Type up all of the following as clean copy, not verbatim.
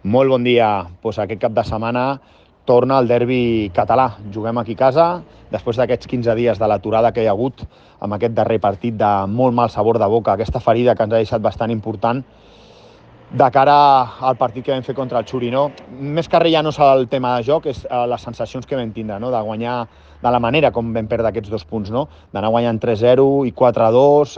Molt bon dia. Aquest cap de setmana torna el derbi català. Juguem aquí a casa, després d'aquests 15 dies de l'aturada que hi ha hagut, amb aquest darrer partit de molt mal sabor de boca, aquesta ferida que ens ha deixat bastant important de cara al partit que vam fer contra el Xuri. Més que res ja no és el tema de joc, és les sensacions que vam tindre, de guanyar de la manera com vam perdre aquests 2 punts, d'anar guanyant 3-0 i 4-2,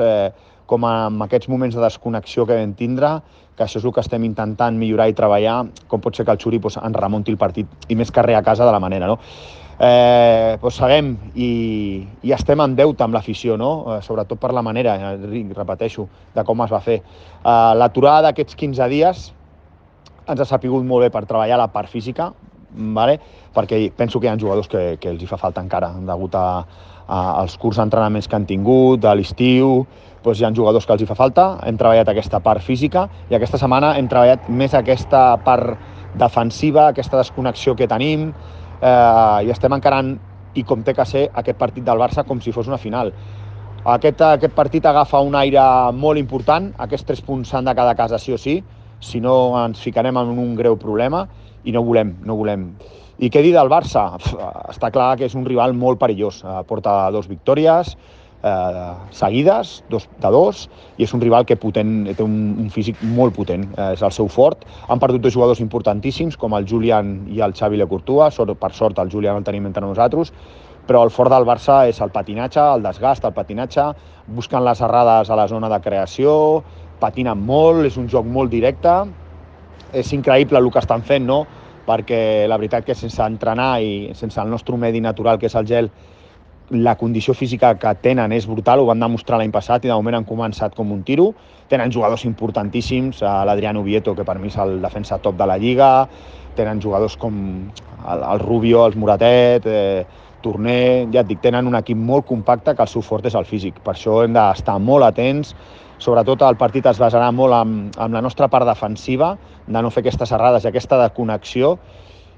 com en aquests moments de desconnexió que vam tindre, que això és el que estem intentant millorar i treballar, com pot ser que el Xuri ens remunti el partit, i més que res a casa de la manera. Sabem i estem en deute amb l'afició, sobretot per la manera, repeteixo, de com es va fer. L'aturada d'aquests 15 dies ens ha sapigut molt bé per treballar la part física, perquè penso que hi ha jugadors que els hi fa falta encara, degut als curts d'entrenaments que han tingut, a l'estiu, hi ha jugadors que els hi fa falta. Hem treballat aquesta part física i aquesta setmana hem treballat més aquesta part defensiva, aquesta desconnexió que tenim, i estem encarant, i com té que ser, aquest partit del Barça com si fos una final. Aquest partit agafa un aire molt important, aquests 3 punts s'han de quedar a casa sí o sí, si no ens ficarem en un greu problema i no volem. I què dir del Barça? Està clar que és un rival molt perillós, porta 2 victòries seguides, 2 i és un rival que té un físic molt potent, és el seu fort. Han perdut 2 jugadors importantíssims, com el Julián i el Xavi Lecourtois. Per sort el Julián el tenim entre nosaltres, però el fort del Barça és el patinatge, el desgast, el patinatge, busquen les errades a la zona de creació, patinen molt, és un joc molt directe. És increïble el que estan fent, perquè la veritat que sense entrenar i sense el nostre medi natural, que és el gel, la condició física que tenen és brutal, ho van demostrar l'any passat i de moment han començat com un tiro. Tenen jugadors importantíssims, l'Adrián Ubieto, que per mi és el defensa top de la Lliga, tenen jugadors com el Rubio, el Moratet, Torner, ja et dic, tenen un equip molt compacte que el seu fort és el físic. Per això hem d'estar molt atents, sobretot el partit es basarà molt en la nostra part defensiva, de no fer aquestes errades i aquesta desconnexió.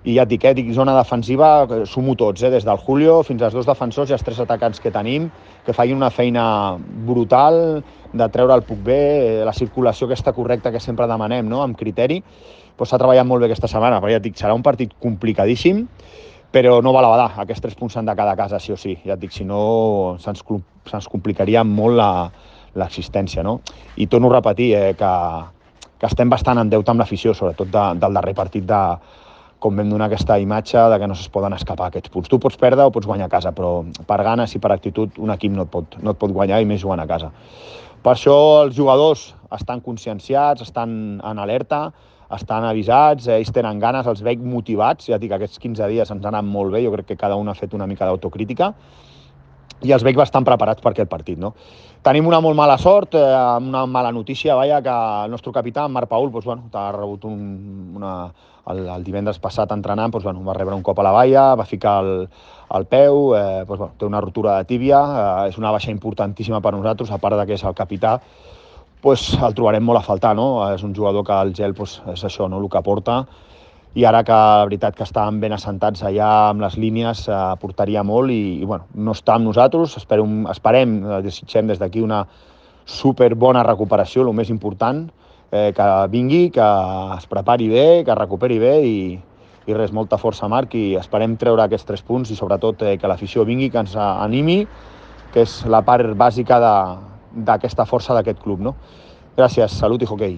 I ja et dic, zona defensiva, sumo tots, des del Julio fins als 2 defensors i els 3 atacants que tenim, que facin una feina brutal de treure el puck bé, la circulació aquesta correcta que sempre demanem, amb criteri. S'ha treballat molt bé aquesta setmana, però ja et dic, serà un partit complicadíssim, però no val a badar, aquests 3 punts s'han de quedar a casa, sí o sí. Ja et dic, si no, se'ns complicaria molt l'existència. I torno a repetir que estem bastant en deute amb l'afició, sobretot del darrer partit com vam donar aquesta imatge de que no es poden escapar aquests punts. Tu pots perdre o pots guanyar a casa, però per ganes i per actitud un equip no et pot guanyar, i més jugant a casa. Per això els jugadors estan conscienciats, estan en alerta, estan avisats, ells tenen ganes, els veig motivats. Ja dic, aquests 15 dies ens han anat molt bé, jo crec que cada un ha fet una mica d'autocrítica, i els veig bastant preparats per aquest partit. Tenim una molt mala sort, una mala notícia, que el nostre capità, en Marc Paül, ha rebut el divendres passat entrenant, va rebre un cop a la banya, va ficar el peu, té una rotura de tíbia, és una baixa importantíssima per nosaltres, a part que és el capità, el trobarem molt a faltar, és un jugador que el gel és això, el que porta, i ara que la veritat que estaven ben assentats allà amb les línies aportaria molt i no està amb nosaltres. Esperem, desitgem des d'aquí una superbona recuperació, el més important, que vingui, que es prepari bé, que es recuperi bé i res, molta força, Marc, i esperem treure aquests 3 punts i sobretot que l'afició vingui, que ens animi, que és la part bàsica d'aquesta força d'aquest club. Gràcies, salut i hoquei.